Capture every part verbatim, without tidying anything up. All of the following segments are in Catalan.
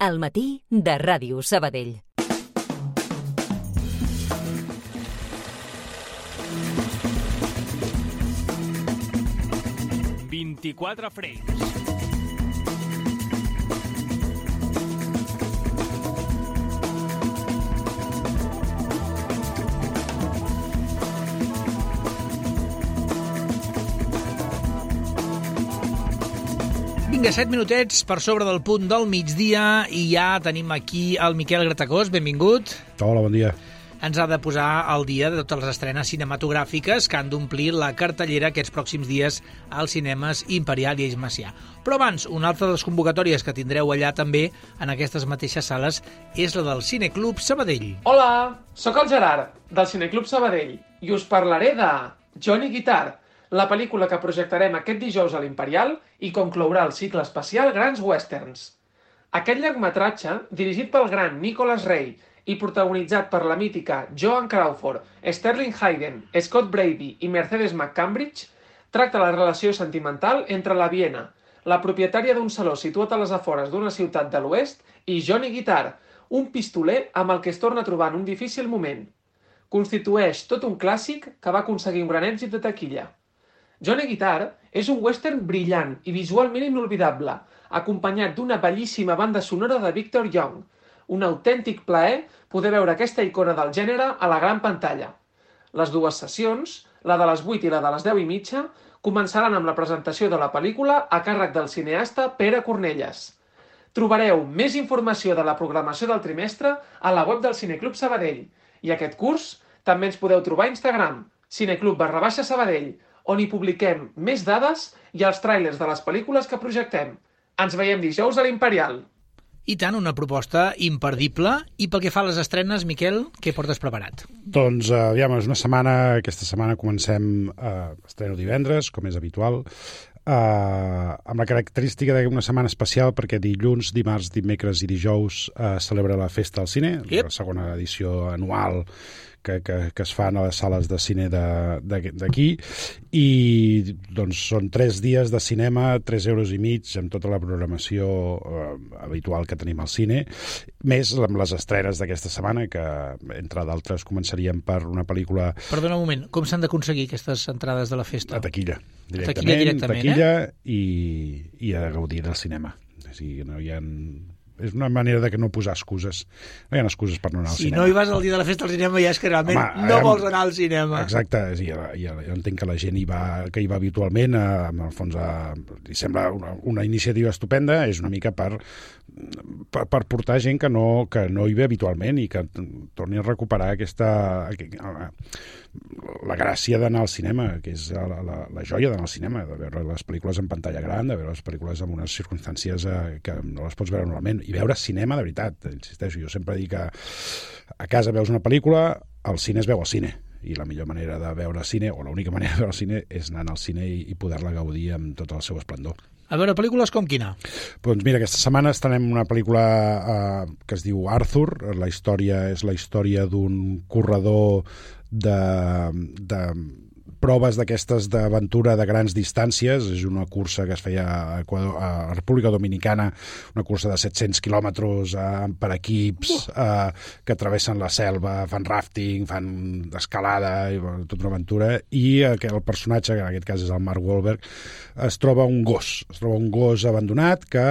Al matí de Ràdio Sabadell. vint-i-quatre frames. Vinga, set minutets per sobre del punt del migdia i ja tenim aquí el Miquel Gratacós. Benvingut. Hola, bon dia. Ens ha de posar al dia de totes les estrenes cinematogràfiques que han d'omplir la cartellera aquests pròxims dies als cinemes Imperial i Eix Macià. Però abans, una altra de les convocatòries que tindreu allà també, en aquestes mateixes sales, és la del Cineclub Sabadell. Hola, sóc el Gerard, del Cineclub Sabadell, i us parlaré de Johnny Guitar, la pel·lícula que projectarem aquest dijous a l'Imperial i conclourà el cicle especial Grans Westerns. Aquest llargmetratge, dirigit pel gran Nicholas Ray i protagonitzat per la mítica Joan Crawford, Sterling Hayden, Scott Brady i Mercedes McCambridge, tracta la relació sentimental entre la Viena, la propietària d'un saló situat a les afores d'una ciutat de l'oest, i Johnny Guitar, un pistoler amb el que es torna a trobar en un difícil moment. Constitueix tot un clàssic que va aconseguir un gran èxit de taquilla. Johnny Guitar és un western brillant i visualment inolvidable, acompanyat d'una bellíssima banda sonora de Victor Young. Un autèntic plaer poder veure aquesta icona del gènere a la gran pantalla. Les dues sessions, la de les vuit i la de les deu i mitja, començaran amb la presentació de la pel·lícula a càrrec del cineasta Pere Cornelles. Trobareu més informació de la programació del trimestre a la web del Cineclub Sabadell. I aquest curs també ens podeu trobar a Instagram, cineclub barra baixa Sabadell, on hi publiquem més dades i els tràilers de les pel·lícules que projectem. Ens veiem dijous a l'Imperial. I tant, una proposta imperdible. I pel que fa a les estrenes, Miquel, què portes preparat? Doncs, uh, aviam, és una setmana, aquesta setmana comencem uh, estreno divendres, com és habitual, uh, amb la característica d'una setmana especial perquè dilluns, dimarts, dimecres i dijous uh, celebra la Festa al Cine, yep. La segona edició anual que, que, que es fan a les sales de cine d'aquí, i doncs són tres dies de cinema, tres euros i mig, amb tota la programació eh, habitual que tenim al cine, més amb les estrenes d'aquesta setmana, que entre d'altres començaríem per una pel·lícula... Perdona un moment, com s'han d'aconseguir aquestes entrades de la festa? A taquilla, directament, a taquilla, directament taquilla eh? i, i a gaudir del cinema. O sigui, no hi ha... És una manera de que no posar excuses. No hi ha excuses per no anar al si cinema. Si no hi vas el dia de la festa al cinema ja és que realment Home, no vols anar al cinema. Exacte, sí, ja, ja, jo entenc que la gent hi va, que hi va habitualment, a, en el fons a, li sembla una, una iniciativa estupenda, és una mica per, per, per portar gent que no, que no hi ve habitualment i que torni a recuperar aquesta... la gràcia d'anar al cinema, que és la, la, la joia d'anar al cinema, de veure les pel·lícules en pantalla gran, de veure les pel·lícules en unes circumstàncies eh, que no les pots veure normalment, i veure cinema de veritat, insisteixo, jo sempre dic que a casa veus una pel·lícula, al cine es veu al cine, i la millor manera de veure cine, o l'única manera de veure el cine, és anar al cine i, i poder-la gaudir amb tot el seu esplendor. A veure, pel·lícules com quina? Doncs mira, aquesta setmana estrenem una pel·lícula eh, que es diu Arthur. La història és la història d'un corredor de, de proves d'aquestes d'aventura de grans distàncies. És una cursa que es feia a, Equador, a República Dominicana, una cursa de set-cents quilòmetres eh, per equips eh, que travessen la selva, fan rafting, fan escalada, i, bueno, tota una aventura, i eh, el personatge, que en aquest cas és el Mark Wahlberg, es troba un gos, es troba un gos abandonat que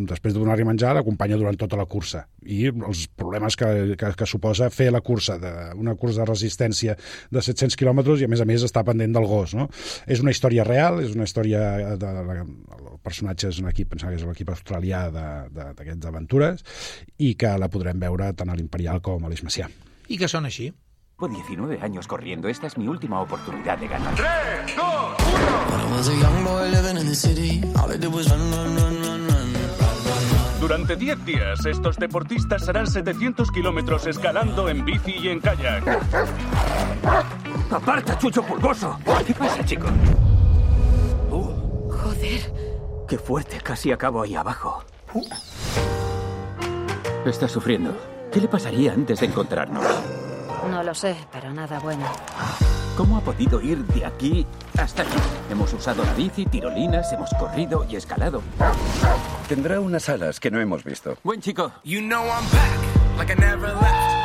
després de donar-li menjar l'acompanya durant tota la cursa, i els problemes que, que, que suposa fer la cursa, de, una cursa de resistència de set-cents quilòmetres, i a més a més està pendent del gos, no? És una història real, és una història de, de, de el personatge és un equip, pensava que és l'equip australià d'aquestes aventures, i que la podrem veure tant a l'Imperial com a l'Eix Macià. I que són així? Por diecinueve años corriendo, esta es mi última oportunidad de ganar. tres, dos, uno. Durante diez días, estos deportistas harán setecientos kilómetros escalando en bici y en kayak. ¡Aparta, chucho pulgoso! ¿Qué pasa, chico? Uh. Joder. Qué fuerte, casi acabo ahí abajo. Uh. Está sufriendo. ¿Qué le pasaría antes de encontrarnos? No lo sé, pero nada bueno. ¿Cómo ha podido ir de aquí hasta aquí? Hemos usado la bici, tirolinas, hemos corrido y escalado. Tendrá unas alas que no hemos visto. Buen chico. You know I'm back, like I never left.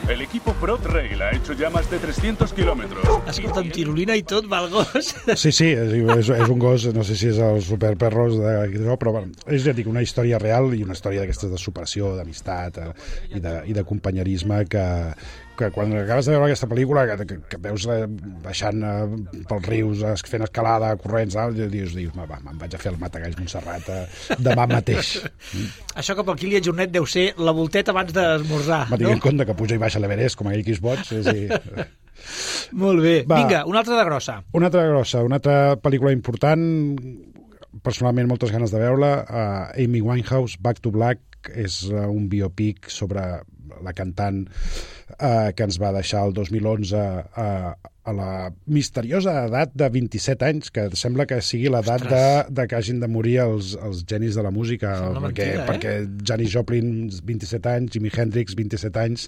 El equipo Prod Rail ha hecho ya más de trescientos kilómetros. Escolta, amb tirolina i tot, va el gos. Sí, sí, és, és, és un gos, no sé si és el superperros, de, però bueno, és, ja dic, una història real i una història d'aquestes de superació, d'amistat eh, i, de, i de companyerisme que, que quan acabes de veure aquesta pel·lícula, que, que, que veus eh, baixant eh, pels rius, eh, fent escalada, corrents, eh, dius, dius va, me'n vaig a fer el Matagalls Montserrat eh, demà mateix. Això que pel Kilian Jornet deu ser la volteta abans d'esmorzar, Va tenir no? en compte que puja i baixa l'Everest, com aquell que és boig. És dir... Molt bé. Va, vinga, una altra de grossa. Una altra grossa, una altra pel·lícula important, personalment moltes ganes de veure-la, uh, Amy Winehouse, Back to Black, és uh, un biopic sobre la cantant uh, que ens va deixar el dos mil onze uh, a la misteriosa edat de vint-i-set anys, que sembla que sigui l'edat de, de que hagin de morir els, els genis de la música, perquè, mentida, eh? perquè Janis Joplin, vint-i-set anys, Jimi Hendrix, vint-i-set anys,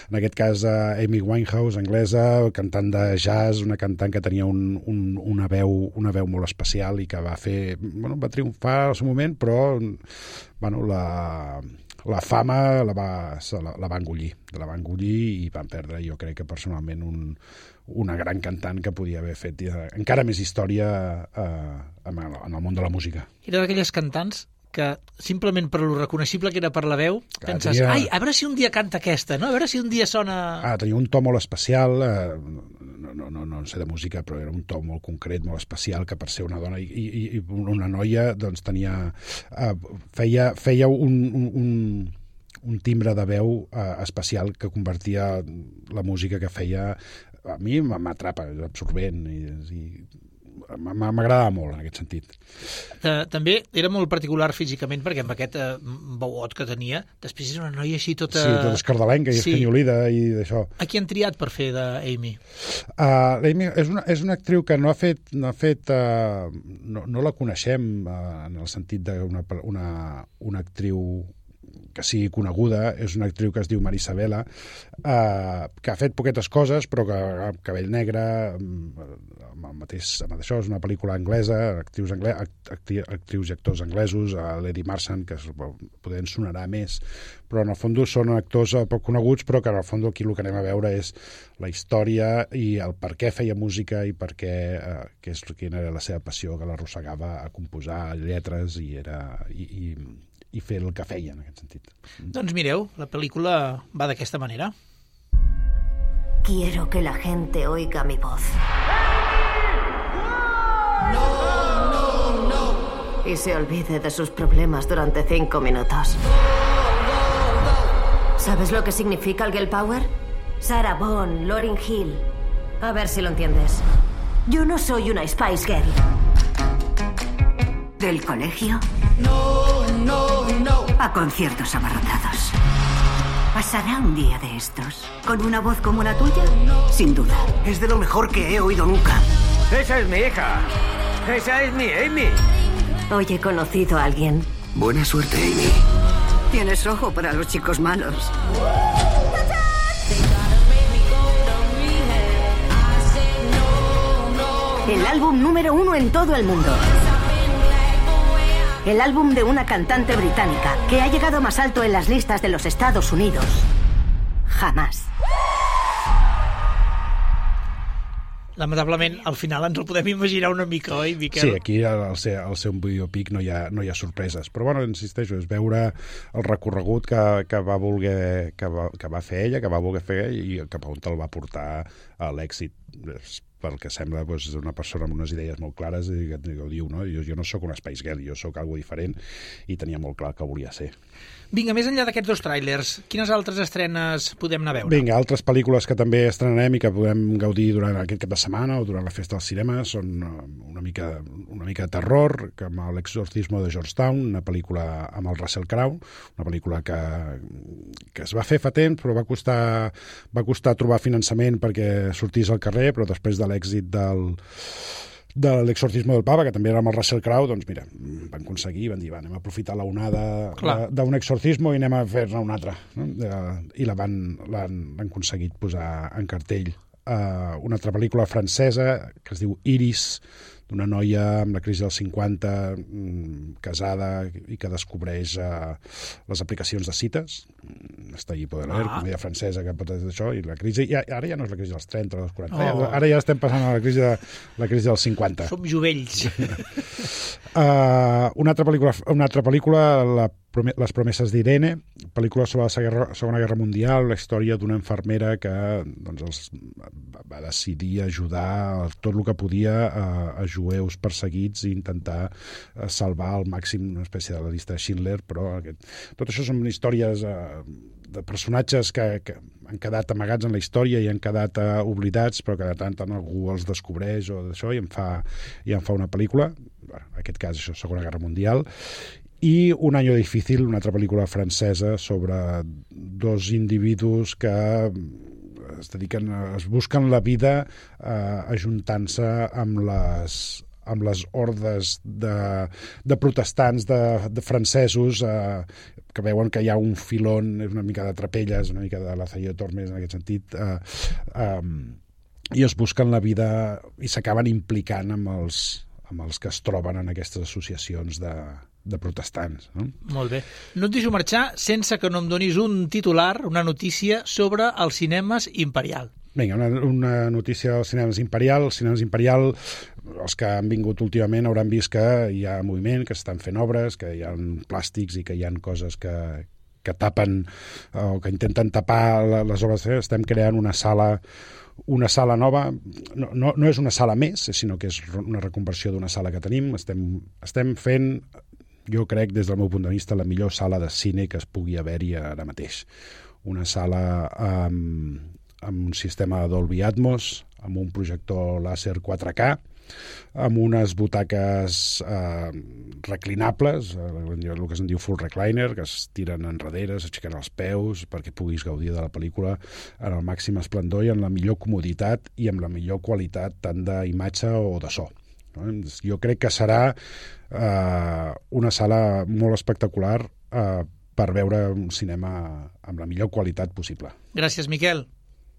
en aquest cas uh, Amy Winehouse, anglesa, cantant de jazz, una cantant que tenia un, un, una, veu, una veu molt especial i que va fer, bueno, va triomfar al seu moment, però bueno, la... la fama la va, la, la va engullir, la va engullir i van perdre, jo crec que personalment, un, una gran cantant que podia haver fet eh, encara més història eh, en, el, en el món de la música. Era d'aquelles cantants que simplement per lo reconeixible que era per la veu, Clar, penses, tenia... ai, a veure si un dia canta aquesta, no? A veure si un dia sona... Ah, tenia un to molt especial, eh, no, no, no, no sé de música, però era un to molt concret, molt especial, que per ser una dona i, i, i una noia, doncs tenia... Eh, feia, feia un, un, un, un timbre de veu eh, especial que convertia la música que feia... A mi m'atrapa, és absorbent i... i m'agradava molt en aquest sentit. També era molt particular físicament perquè amb aquest eh, veuot que tenia, després era una noia així tota... Sí, tota escardalenca i sí. espanyolida i d'això. A qui han triat per fer d'Amy? Uh, L'Amy és una, és una actriu que no ha fet... No, ha fet, uh, no, no la coneixem uh, en el sentit d'una una, una actriu que sigui coneguda, és una actriu que es diu Marisabela, eh, que ha fet poquetes coses, però que amb cabell negre, amb el mateix, amb això, és una pel·lícula anglesa, actrius, angle, acti, actrius i actors anglesos, a l'Eddie Marsan, que poder ens sonarà més, però en el fons són actors poc coneguts, però que en el fons aquí el que anem a veure és la història i el per què feia música i per què, eh, que és, quina era la seva passió, que l'arrossegava a composar lletres i era... I, i, i fer el que feia, en aquest sentit. Doncs mireu, la pel·lícula va d'aquesta manera. Quiero que la gente oiga mi voz. No, no, no. Y se olvide de sus problemas durante cinco minutos. ¿Sabes lo que significa el girl power? Sarah Vaughan, Lauryn Hill. A ver si lo entiendes. Yo no soy una Spice Girl. ¿Del colegio? No, no, no. A conciertos abarrotados. ¿Pasará un día de estos con una voz como la tuya? Sin duda. Es de lo mejor que he oído nunca. Esa es mi hija. Esa es mi Amy. Hoy he conocido a alguien. Buena suerte, Amy. Tienes ojo para los chicos malos. El álbum número uno en todo el mundo. El álbum de una cantante británica que ha llegado más alto en las listas de los Estados Unidos. Jamás. Lamentablement, al final ens el podem imaginar una mica, oi, Miquel? Sí, aquí al ser, al ser un biopic no hi ha, no hi ha sorpreses. Però, bueno, insisteixo, és veure el recorregut que, que, va voler, que, va, que va fer ella, que va voler fer i cap a on el va portar a l'èxit. Pel que sembla, doncs, és una persona amb unes idees molt clares i que, que ho diu, no? Jo, jo no sóc una Spice Girl, jo sóc algo diferent i tenia molt clar que volia ser. Vinga, més enllà d'aquests dos tràilers, quines altres estrenes podem anar a veure? Vinga, altres pel·lícules que també estrenarem i que podem gaudir durant aquest cap de setmana o durant la festa del cinema són una mica, una mica de terror, com L'Exorcismo de Georgetown, una pel·lícula amb el Russell Crowe, una pel·lícula que, que es va fer fa temps, però va costar, va costar trobar finançament perquè sortís al carrer, però després de l'èxit del de l'Exorcismo del Papa, que també era amb el Russell Crowe, doncs mira, van aconseguir, van dir, va, anem a aprofitar la onada d'un exorcismo i anem a fer-ne un altre. No? I la van, l'han, l'han aconseguit posar en cartell uh, una altra pel·lícula francesa que es diu Iris, d'una noia amb la crisi dels cinquanta, mm, casada i que descobreix uh, les aplicacions de cites. Està allí poder leer, ah. comèdia francesa que pot dir això, i la crisi, ja, ara ja no és la crisi dels trenta o dels quaranta, oh. ara ja estem passant a la crisi, de, la crisi dels cinquanta. Som jovells. uh, una altra pel·lícula, una altra pel·lícula la, Les promeses d'Irene, pel·lícula sobre la Segona, Segona Guerra Mundial, la història d'una infermera que doncs, els, va decidir ajudar tot el que podia a, a jueus perseguits i intentar salvar al màxim una espècie de la llista de Schindler, però aquest, tot això són històries uh, de personatges que, que han quedat amagats en la història i han quedat uh, oblidats, però que de tant en algú els descobreix o d'això i en fa, i en fa una pel·lícula, bueno, en aquest cas això, Segona Guerra Mundial. I Un año difícil, una altra pel·lícula francesa sobre dos individus que es dediquen, es busquen la vida eh, ajuntant-se amb les, amb les hordes de, de protestants, de, de francesos, eh, que veuen que hi ha un filon, és una mica de Trapelles, una mica de Lazarillo Tormes en aquest sentit, eh, eh, i es busquen la vida i s'acaben implicant amb els, amb els que es troben en aquestes associacions de de protestants. No? Molt bé. No et deixo marxar sense que no em donis un titular, una notícia sobre els cinemes Imperial. Vinga, una, una notícia dels cinemes Imperial. Els cinemes Imperial, els que han vingut últimament hauran vist que hi ha moviment, que s'estan fent obres, que hi ha plàstics i que hi ha coses que, que tapen o que intenten tapar les obres. Estem creant una sala una sala nova, no, no, no és una sala més, sinó que és una reconversió d'una sala que tenim. Estem, estem fent, jo crec, des del meu punt de vista, la millor sala de cine que es pugui haver-hi ara mateix. Una sala amb, amb un sistema Dolby Atmos, amb un projector làser quatre K, amb unes butaques eh, reclinables, el que se'n diu full recliner, que es tiren enrere, s'aixequen els peus perquè puguis gaudir de la pel·lícula en el màxim esplendor i en la millor comoditat i amb la millor qualitat tant d'imatge o de so. Jo crec que serà eh, una sala molt espectacular eh, per veure un cinema amb la millor qualitat possible. Gràcies, Miquel.